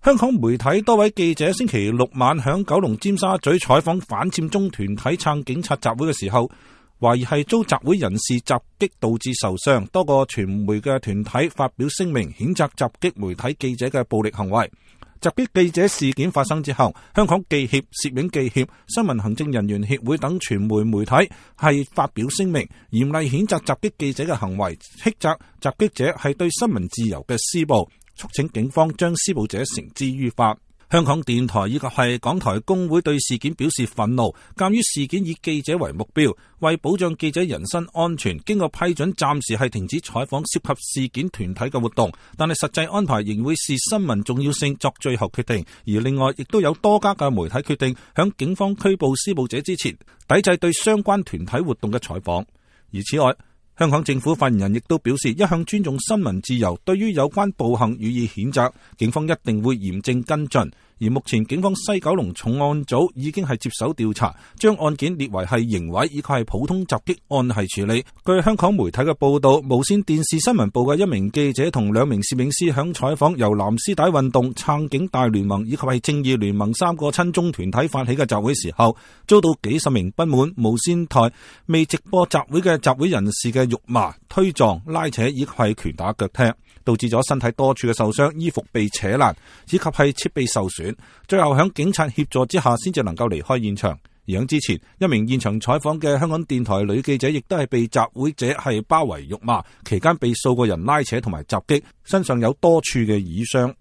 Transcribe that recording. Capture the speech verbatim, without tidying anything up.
香港媒體多位記者星期六晚響九龍尖沙咀採訪反佔中團體撐警察集會嘅時候，懷疑係遭集會人士襲擊導致受傷，多個傳媒嘅團體發表聲明譴責襲擊媒體記者嘅暴力行為。襲擊記者事件發生之後，香港記協、攝影記協、新聞行政人員協會等傳媒媒體係發表聲明，嚴厲譴責襲擊記者嘅行為，斥責襲擊者係對新聞自由嘅施暴，促請警方將施暴者繩之於法。香港電台以及係港台工會對事件表示憤怒，鑑於事件以記者為目標，為保障記者人身安全，經過批准暫時係停止採訪涉及事件團體嘅活動，但係實際安排仍會視新聞重要性作最後決定。而另外亦都有多家嘅媒體決定響警方拘捕施暴者之前，抵制對相關團體活動嘅採訪。而此外，香港政府發言人亦都表示，一向尊重新聞自由，對於有關暴行予以譴責，警方一定會嚴正跟進。而目前警方西九龍重案組已經係接手調查，將案件列為係刑毀以及係普通襲擊案係處理。據香港媒體嘅報道，無綫電視新聞部嘅一名記者同兩名攝影師響採訪由藍絲帶運動、撐警大聯盟以及係正義聯盟三個親中團體發起嘅集會時候，遭到幾十名不滿無綫台未直播集會嘅集會人士嘅辱罵、推撞、拉扯以及係拳打腳踢，導致咗身體多處嘅受傷，衣服被扯爛以及係設備受損，最後響警察協助之下先至能夠離開現場。而響之前，一名現場採訪嘅香港電台女記者亦都係被集會者係包圍辱罵，期間被數個人拉扯同埋襲擊，身上有多處嘅瘀傷。